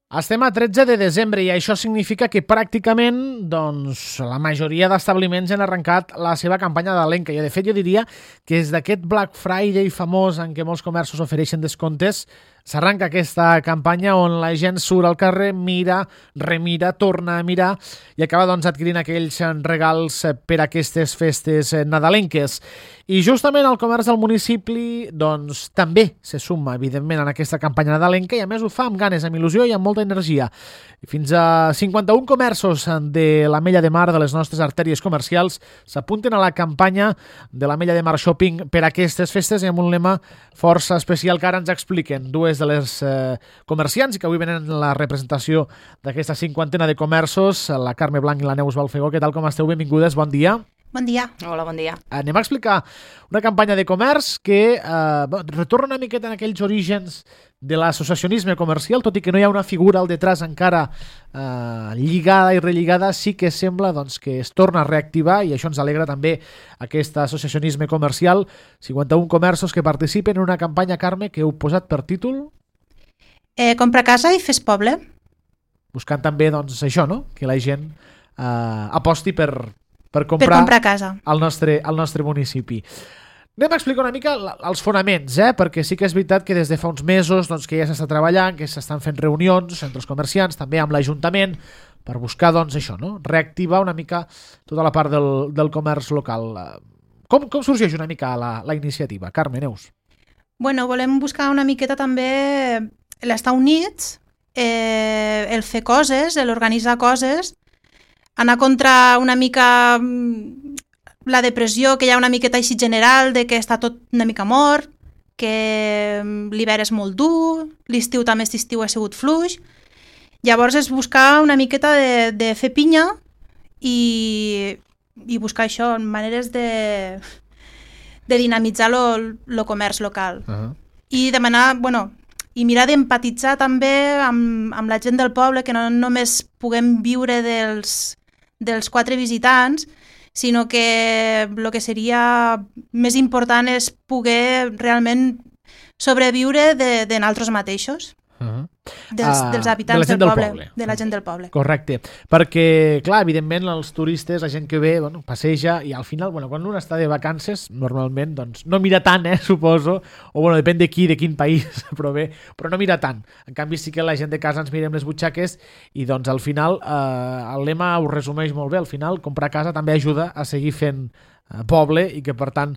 Estem a 13 de desembre i això significa que pràcticament la majoria d'establiments han arrencat la seva campanya d'Alenca. I de fet jo diria que és d'aquest Black Friday famós en què molts comerços ofereixen descomptes, s'arranca aquesta campanya on la gent surt al carrer, mira, remira, torna a mirar i acaba adquirint aquells regals per a aquestes festes nadalenques. I justament el comerç del municipi també se suma, evidentment, en aquesta campanya nadalenca i a més ho fa amb ganes, amb il·lusió i amb molta energia. Fins a 51 comerços de l'Ametlla de Mar, de les nostres artèries comercials, s'apunten a la campanya de l'Ametlla de Mar Shopping per a aquestes festes i amb un lema força especial que ara ens expliquen dues de les comerciants i que avui venen la representació d'aquesta cinquantena de comerços, la Carme Blanc i la Neus Balfegó. Què tal, com esteu? Benvingudes, bon dia. Bon dia. Hola, bon dia. Anem a explicar una campanya de comerç que retorna una miqueta en aquells orígens de l'associacionisme comercial, tot i que no hi ha una figura al detrás encara lligada i relligada, sí que sembla que es torna a reactivar i això ens alegra també aquest associacionisme comercial. 51 comerços que participen en una campanya, Carme, que heu posat per títol? Compra casa i fes poble. Buscant també això, no? Que la gent aposti per comprar casa al nostre municipi. Anem a explicar una mica els fonaments, perquè sí que és veritat que des de fa uns mesos que ja s'està treballant, que s'estan fent reunions entre els comerciants, també amb l'Ajuntament, per buscar reactivar una mica tota la part del comerç local. Com sorgeix una mica la iniciativa? Carme, Neus. Bueno, volem buscar una miqueta també l'estar units, el fer coses, l'organitzar coses, anar contra una mica la depressió que hi ha una miqueta així general de que està tot una mica mort, que l'hivern és molt dur, l'estiu també ha sigut fluix. Llavors és buscar una miqueta de fer pinya i buscar això, maneres de dinamitzar el comerç local. I demanar, i mirar d'empatitzar també amb la gent del poble, que no només puguem viure dels 4 visitants, sinó que el que seria més important és poder realment sobreviure de nosaltres mateixos, dels habitants del poble, de la gent del poble. Correcte, perquè, clar, evidentment, els turistes, la gent que ve, passeja, i al final, quan un està de vacances, normalment, no mira tant, suposo, o depèn de quin país, però no mira tant. En canvi, sí que la gent de casa ens mirem les butxaques i, al final, el lema ho resumeix molt bé. Al final, comprar casa també ajuda a seguir fent poble i que, per tant,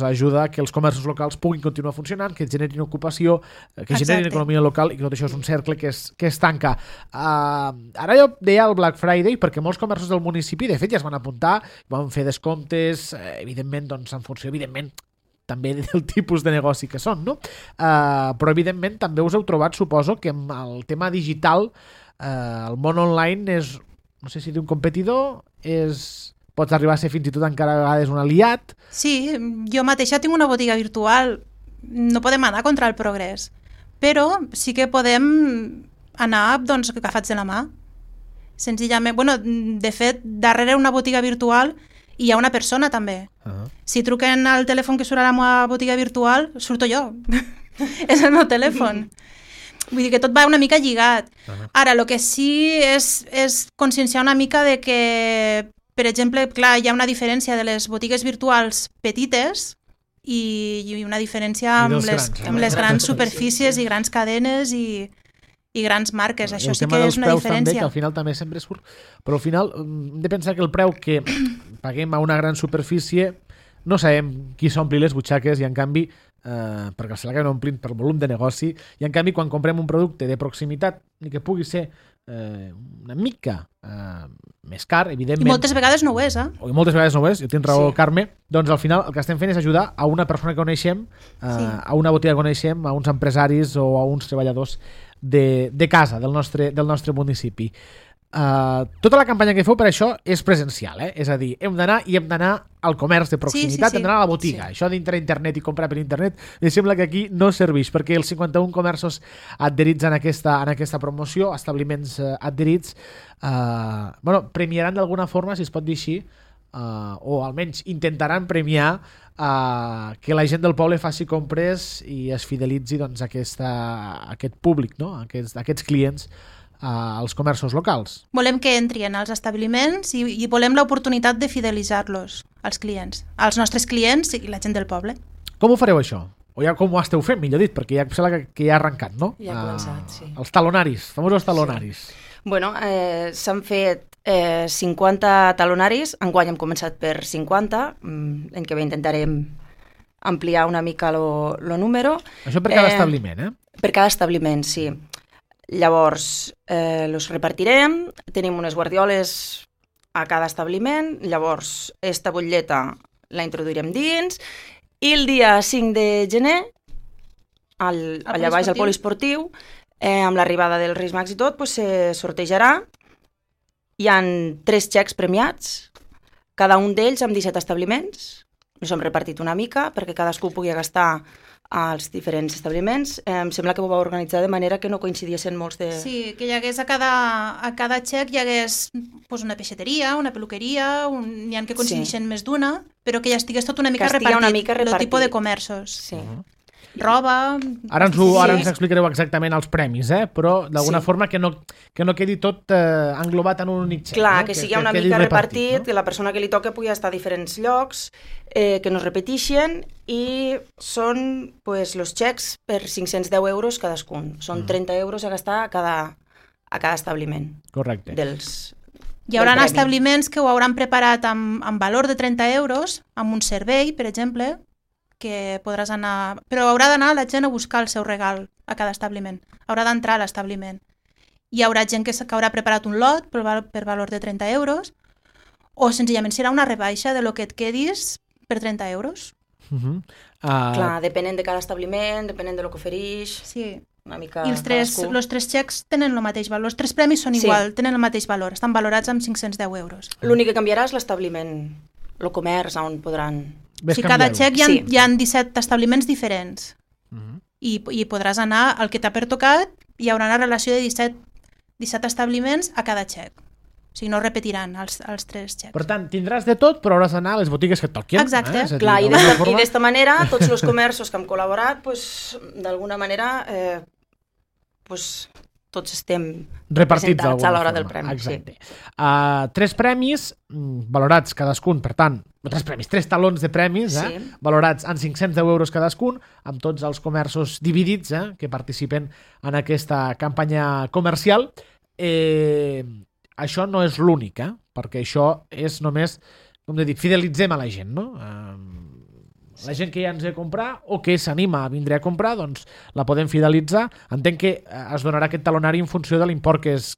ajuda que els comerços locals puguin continuar funcionant, que generin ocupació, que generin economia local i que tot això és un cercle que es tanca. Ara jo deia el Black Friday perquè molts comerços del municipi, de fet, ja es van apuntar, van fer descomptes, evidentment, en funció, evidentment, també del tipus de negoci que són, no? Però, evidentment, també us heu trobat, suposo, que amb el tema digital, el món online és, no sé si d'un competidor, pots arribar a ser fins i tot encara a vegades un aliat. Sí, jo mateixa tinc una botiga virtual. No podem anar contra el progrés, però sí que podem anar agafats de la mà. Senzillament, de fet, darrere una botiga virtual hi ha una persona també. Si truquen al telèfon que surt a la meva botiga virtual, surto jo. És el meu telèfon. Vull dir que tot va una mica lligat. Ara, el que sí és conscienciar una mica de que, per exemple, clar, hi ha una diferència de les botigues virtuals petites i una diferència amb les grans superfícies i grans cadenes i grans marques. Això sí que és una diferència. També, que al final també sempre surt, però al final hem de pensar que el preu que paguem a una gran superfície no sabem qui s'ompli les butxaques i en canvi perquè se l'acaben omplint per volum de negoci i en canvi quan comprem un producte de proximitat ni que pugui ser una mica més car, evidentment. I moltes vegades no ho és, I moltes vegades no ho és, jo tinc raó, sí. Carme. Doncs al final el que estem fent és ajudar a una persona que coneixem, a una botiga que coneixem, a uns empresaris o a uns treballadors de casa, del nostre municipi. Tota la campanya que feu per això és presencial, és a dir, hem d'anar al comerç de proximitat, hem d'anar a la botiga. Això d'entrar a internet i comprar per internet em sembla que aquí no serveix, perquè els 51 comerços adherits en aquesta promoció, establiments adherits, premiaran d'alguna forma, si es pot dir així, o almenys intentaran premiar que la gent del poble faci compres i es fidelitzi doncs, aquest públic, no? Aquests clients als comerços locals. Volem que entrin als establiments i volem l'oportunitat de fidelitzar-los, als clients, als nostres clients i la gent del poble. Com ho fareu això? O ja com ho esteu fent, millor dit, perquè ja sembla que ja ha arrencat, no? Ja ha començat, sí. Els talonaris, famosos talonaris. Sí. Bueno, s'han fet 50 talonaris, enguany hem començat per 50, l'any que ve intentarem ampliar una mica el número. Això per cada establiment, eh? Per cada establiment, sí. Llavors, els repartirem, tenim unes guardioles a cada establiment, llavors esta butlleta la introduirem dins, i el dia 5 de gener, allà baix al poliesportiu, amb l'arribada dels Reis Mags i tot, se sortejarà. Hi ha 3 xecs premiats, cada un d'ells amb 17 establiments. Ens hem repartit una mica perquè cadascú pugui gastar als diferents establiments. Em sembla que ho va organitzar de manera que no coincidissin molts de... Sí, que hi hagués a cada xec hi hagués una peixateria, una peluqueria, n'hi ha que coincideixen més d'una, però que ja estigués tot una mica repartit, el tipus de comerços. Sí. Roba... Ara ens explicareu exactament els premis, però d'alguna forma que no quedi tot englobat en un únic xec. Clar, que sigui una mica repartit, que la persona que li toca pugui estar a diferents llocs, que no es repeteixen, i són els xecs per 510 euros cadascun. Són 30 euros a gastar a cada establiment. Correcte. Hi haurà establiments que ho hauran preparat amb valor de 30 euros, amb un servei, per exemple, que podràs anar... Però haurà d'anar la gent a buscar el seu regal a cada establiment. Haurà d'entrar a l'establiment. Hi haurà gent que haurà preparat un lot per valor de 30 euros o senzillament serà una rebaixa de lo que et quedis per 30 euros. Clar, depenent de cada establiment, depenent de lo que ofereix... Sí. Una mica i els tres xecs tenen el mateix valor. Els 3 premis són igual, tenen el mateix valor. Estan valorats amb 510 euros. L'únic que canviarà és l'establiment, el comerç, on podran... Cada xec hi ha 17 establiments diferents i podràs anar al que t'ha pertocat, hi haurà una relació de 17 establiments a cada xec. O sigui, no repetiran els 3 xecs. Per tant, tindràs de tot, però hauràs d'anar a les botigues que et toquin. Exacte. Clar, i d'esta manera, tots els comerços que hem col·laborat, d'alguna manera, tots estem representats a l'hora del premi. Exacte. 3 premis valorats cadascun, per tant, 3 talons de premis, valorats en 510 euros cadascun, amb tots els comerços dividits que participen en aquesta campanya comercial. Això no és l'únic, perquè això és només, com he dit, fidelitzem a la gent, no? La gent que ja ens ve a comprar o que s'anima a vindre a comprar, doncs la podem fidelitzar. Entenc que es donarà aquest talonari en funció de l'import que es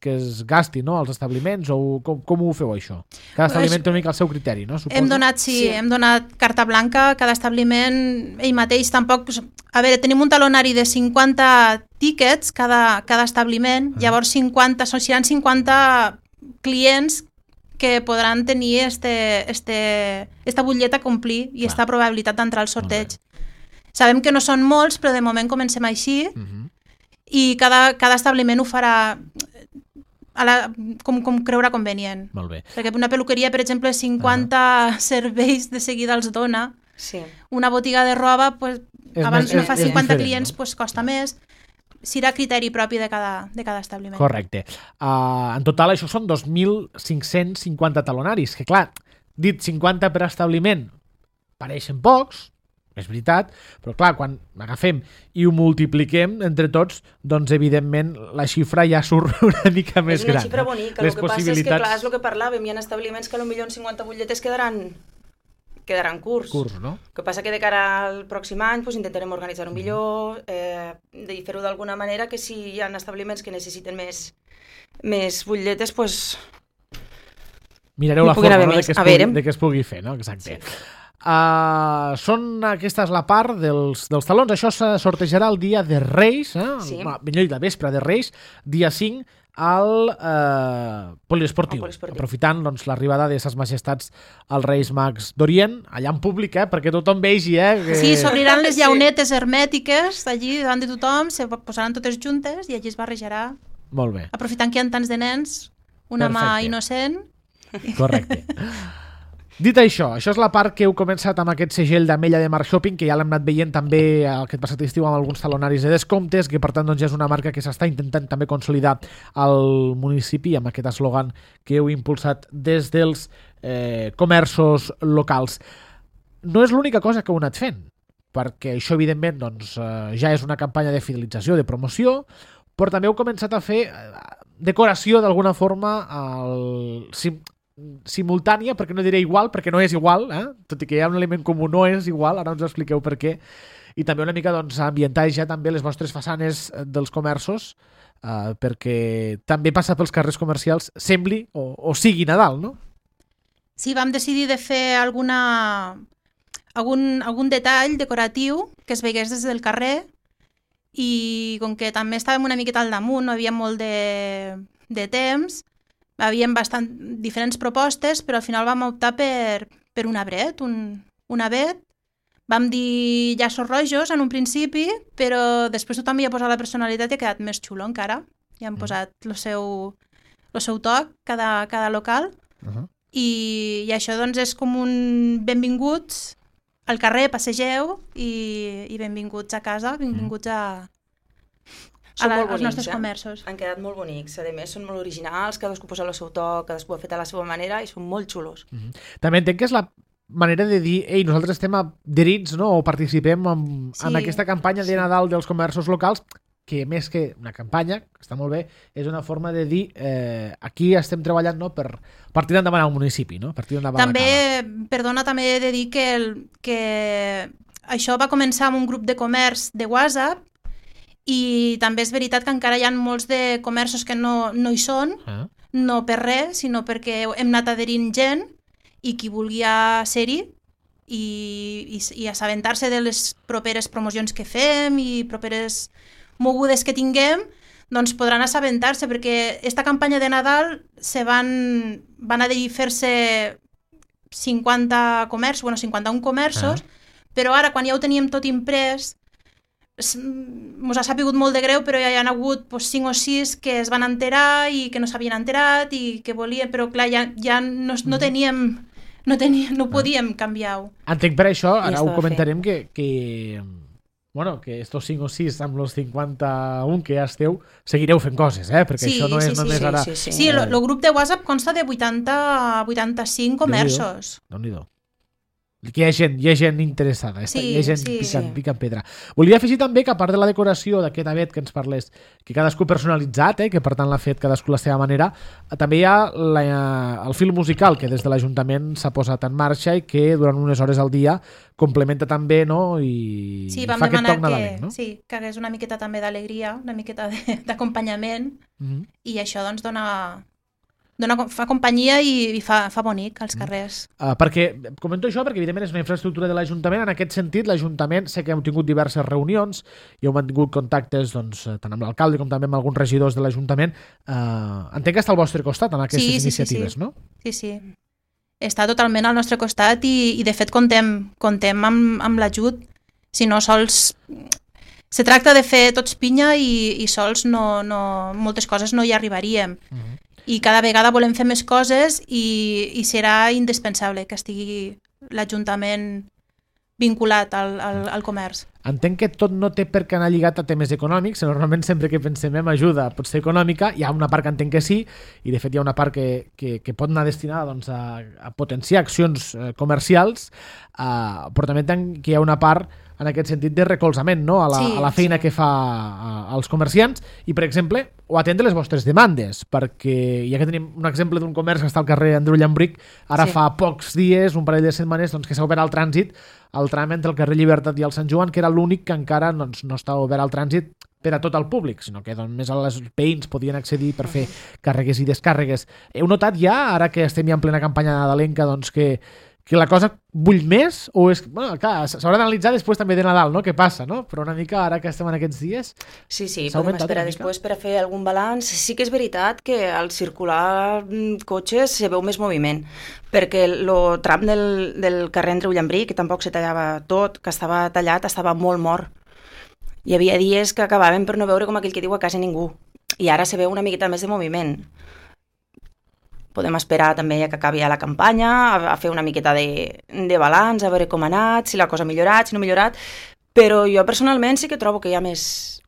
gasti, no?, als establiments, o com ho feu, això? Cada establiment té una mica el seu criteri, no? Hem donat carta blanca a cada establiment, ell mateix tampoc... A veure, tenim un talonari de 50 tíquets cada establiment, llavors seran 50 clients que podran tenir esta butlleta a complir i esta probabilitat d'entrar al sorteig. Sabem que no són molts, però de moment comencem així i cada establiment ho farà com creurà convenient. Molt bé. Perquè una peluqueria, per exemple, 50 serveis de seguida els dona. Una botiga de roba, abans no fa 50 clients, costa més. Serà criteri propi de cada establiment. Correcte. En total, això són 2.550 talonaris, que clar, dit 50 per establiment, pareixen pocs, és veritat, però clar, quan agafem i ho multipliquem entre tots, doncs evidentment la xifra ja surt una mica més gran. És una xifra bonica, el que passa és que clar, és el que parlàvem, hi ha establiments que potser en 50 butlletes quedaran curts. No? El que passa que de cara al pròxim any intentarem organitzar-ho millor, de fer-ho d'alguna manera que si hi ha establiments que necessiten més butlletes, mirareu la forma de que es pugui fer, no? Exacte. Són aquestes la part dels talons. Això se sortejarà el dia de Reis, millor dit, la vespre de Reis, dia 5, al poliesportiu, aprofitant l'arribada de ses majestats als Reis Mags d'Orient, allà en públic, perquè tothom vegi. Sí, s'obriran les llaunetes hermètiques allí davant de tothom, se posaran totes juntes i allí es barrejarà. Molt bé. Aprofitant que hi ha tants de nens, una mà innocent. Correcte. Dit això és la part que heu començat amb aquest segell d'Ametlla de Marc Shopping, que ja l'hem anat veient també aquest passat estiu amb alguns talonaris de descomptes, que per tant doncs, ja és una marca que s'està intentant també consolidar al municipi amb aquest eslògan que heu impulsat des dels comerços locals. No és l'única cosa que heu anat fent, perquè això evidentment doncs, ja és una campanya de fidelització, de promoció, però també heu començat a fer decoració d'alguna forma simultània, perquè no diré igual, perquè no és igual, tot i que hi ha un element comú, no és igual, ara ens expliqueu per què, i també una mica doncs, ambientar ja també les vostres façanes dels comerços, perquè també passar pels carrers comercials sembli o sigui Nadal, no? Sí, vam decidir de fer algun detall decoratiu que es veigués des del carrer, i com que també estàvem una miqueta al damunt, no havia molt de temps, havíem diferents propostes, però al final vam optar per un arbret, un avet. Vam dir llaços rojos en un principi, però després tothom hi ha posat la personalitat i ha quedat més xulo encara. I han posat el seu toc, cada local. I això doncs és com un benvinguts al carrer, passegeu i benvinguts a casa, benvinguts als nostres comerços. Han quedat molt bonics, a més són molt originals, cadascú posa el seu toc, cadascú ha fet a la seva manera i són molt xulos. També entenc que és la manera de dir, ei, nosaltres estem adherits, no? O participem en aquesta campanya de Nadal dels comerços locals, que més que una campanya, que està molt bé, és una forma de dir aquí estem treballant, no? per tirar endavant al municipi, no? Per tirar endavant també, perdona, també he de dir que això va començar amb un grup de comerç de WhatsApp, i també és veritat que encara hi ha molts de comerços que no hi són, no per res, sinó perquè hem anat adherint gent i qui volia ser-hi i assabentar-se de les properes promocions que fem i properes mogudes que tinguem, doncs podran assabentar-se, perquè esta campanya de Nadal van adherir fer-se 51 comerços, però ara quan ja ho teníem tot imprès mos ha sapigut molt de greu, però ja hi ha hagut 5 o 6 que es van enterar i que no s'havien enterat i que volien, però clar, ja no teníem, no podíem canviar-ho. Entenc per això, ara ho comentarem, que estos 5 o 6 amb els 51 que ja esteu, seguireu fent coses, perquè això no és només ara... Sí, el grup de WhatsApp consta de 85 comerços. Déu-n'hi-do. Que hi ha gent interessada, hi ha gent picant pedra. Volia afegir també que a part de la decoració d'aquest avet que ens parles, que cadascú personalitzat, que per tant l'ha fet cadascú a la seva manera, també hi ha el fil musical que des de l'Ajuntament s'ha posat en marxa i que durant unes hores al dia complementa també, no? I fa aquest toc nadalenc, no? Sí, que hagués una miqueta també d'alegria, una miqueta d'acompanyament, i això doncs fa companyia i fa bonic als carrers. Perquè comento això perquè evidentment és una infraestructura de l'Ajuntament. En aquest sentit, l'Ajuntament sé que hem tingut diverses reunions i heu mantingut contactes tant amb l'alcalde com també amb alguns regidors de l'Ajuntament. Entenc que està al vostre costat en aquestes iniciatives, no? Sí. Està totalment al nostre costat i de fet contem amb l'ajut. Si no, sols se tracta de fer tots pinya i sols moltes coses no hi arribaríem. I cada vegada volem fer més coses i serà indispensable que estigui l'Ajuntament vinculat al comerç. Entenc que tot no té per què anar lligat a temes econòmics. Normalment sempre que pensem en ajuda pot ser econòmica, hi ha una part que entenc que sí, i de fet hi ha una part que pot anar destinada doncs, a potenciar accions comercials, però també entenc que hi ha una part en aquest sentit de recolzament, no? a la feina que fa als comerciants i, per exemple, o atendre les vostres demandes, perquè ja que tenim un exemple d'un comerç que està al carrer Andreu Llambric, ara fa pocs dies, un parell de setmanes, doncs, que s'ha obert al trànsit el tram entre el carrer Llibertat i el Sant Joan, que era l'únic que encara doncs, no està obert al trànsit per a tot el públic, sinó que només els veïns podien accedir per fer càrregues i descàrregues. Heu notat ja, ara que estem ja en plena campanya nadalenca, doncs que la cosa bull més? O és... Bueno, clar, s'haurà d'analitzar després també de Nadal, no? Què passa, no? Però una mica, ara que estem en aquests dies... Sí, podem esperar després per a fer algun balanç. Sí que és veritat que al circular cotxes se veu més moviment, perquè el tram del carrer Andreu Llambric, que tampoc se tallava tot, que estava tallat, estava molt mort. Hi havia dies que acabaven per no veure com aquell que diu a casa ningú. I ara se veu una miqueta més de moviment. podem esperar també ja que acabi ja la campanya, a fer una miqueta de balanç, a veure com ha anat, si la cosa ha millorat, si no ha millorat, però jo personalment sí que trobo que hi ha més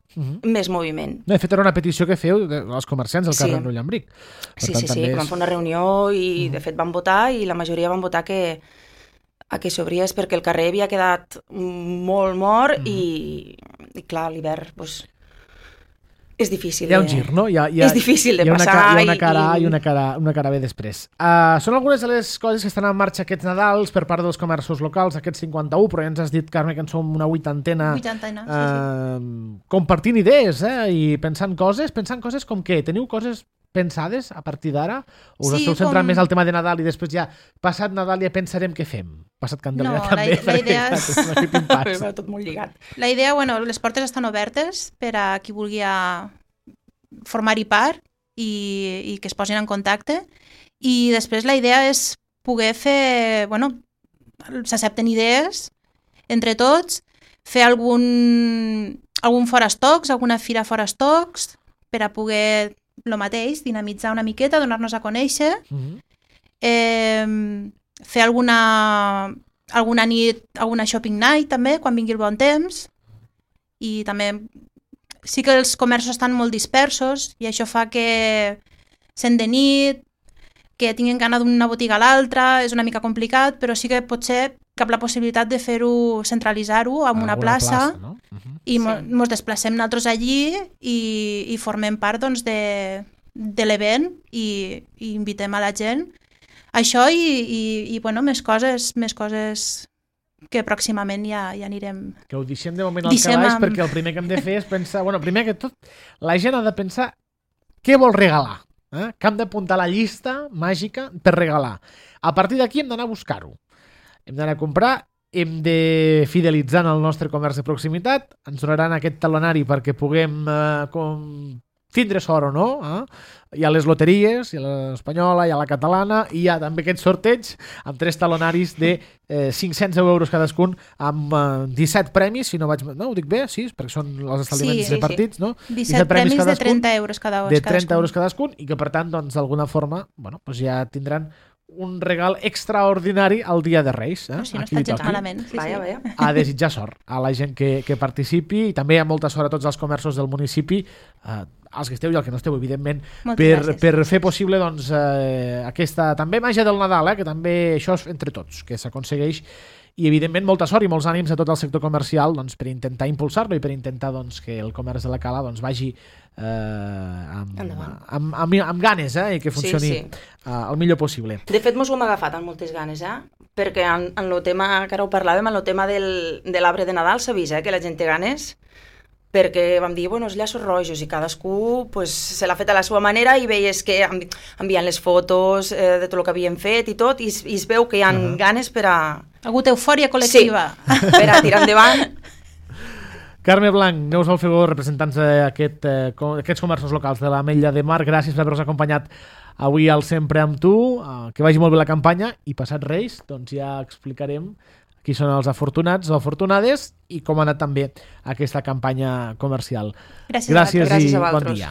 moviment. De fet, era una petició que feu als comerciants del carrer Rullambric. Sí, que van fer una reunió i de fet van votar i la majoria van votar que s'obriés perquè el carrer havia quedat molt mort i clar, l'hivern és difícil. Hi ha un gir, no? És difícil de passar. Hi ha una cara A i una cara B després. Són algunes de les coses que estan en marxa aquests Nadals per part dels comerços locals, aquests 51, però ja ens has dit, Carme, que en som una 80ena. Compartint idees i pensant coses com què? Teniu coses pensades a partir d'ara? O us esteu centrant més al tema de Nadal i després ja, passat Nadal, ja pensarem què fem? Passat Candelera també. La idea és... Va tot molt lligat. La idea, les portes estan obertes per a qui vulgui formar-hi part i que es posin en contacte. I després la idea és poder fer, s'accepten idees entre tots, fer algun fora stocks, alguna fira fora stocks, per a poder lo mateix, dinamitzar una miqueta, donar-nos a conèixer, fer alguna nit, alguna shopping night també, quan vingui el bon temps, i també sí que els comerços estan molt dispersos i això fa que sent de nit, que tinguin gana d'una botiga a l'altra, és una mica complicat, però sí que potser cap la possibilitat de fer-ho, centralitzar-ho en una plaça, no? I ens desplacem nosaltres allí i formem part de l'event i invitem a la gent. Això i més coses que pròximament ja anirem... Que ho deixem de moment al calaix perquè el primer que hem de fer és pensar... primer que tot, la gent ha de pensar què vol regalar. Que hem d'apuntar la llista màgica per regalar. A partir d'aquí hem d'anar a buscar-ho. Hem d'anar a comprar, hem de fidelitzar en el nostre comerç de proximitat, ens donaran aquest talonari perquè puguem tindre sort o no. Hi ha les loteries, hi ha l'espanyola, hi ha la catalana, i hi ha també aquest sorteig amb 3 talonaris de 500 euros cadascun, amb 17 premis, si no vaig... No, ho dic bé? Sí, perquè són els establiments repartits, no? 17 premis de 30 euros cadascun. De 30 euros cadascun, i que per tant, d'alguna forma, ja tindran un regal extraordinari al dia de Reis. Si no està gens malament. A desitjar sort a la gent que participi, i també hi ha molta sort a tots els comerços del municipi, als que esteu i als que no esteu, evidentment, per fer possible aquesta també màgia del Nadal, que també això és entre tots, que s'aconsegueix. I evidentment molta sort i molts ànims a tot el sector comercial per intentar impulsar-lo i per intentar que el comerç de la Cala vagi amb ganes i que funcioni el millor possible. De fet, mos ho hem agafat amb moltes ganes, perquè en el tema, que ara ho parlàvem, en el tema de l'arbre de Nadal s'ha vist que la gent té ganes, perquè vam dir, els llaços rojos, i cadascú se l'ha fet a la seva manera, i veies que enviant les fotos de tot el que havien fet i tot, i es veu que hi ha ganes per a... Ha hagut eufòria col·lectiva. Sí, per a tirar endavant. Carme Blanc, Neus Alfegó, representants d'aquests comerços locals de l'Ametlla de Mar, gràcies per haver-nos acompanyat avui al Sempre amb tu, que vagi molt bé la campanya, i passat Reis, ja explicarem qui són els afortunats o afortunades i com ha anat també aquesta campanya comercial. Gràcies i bon dia.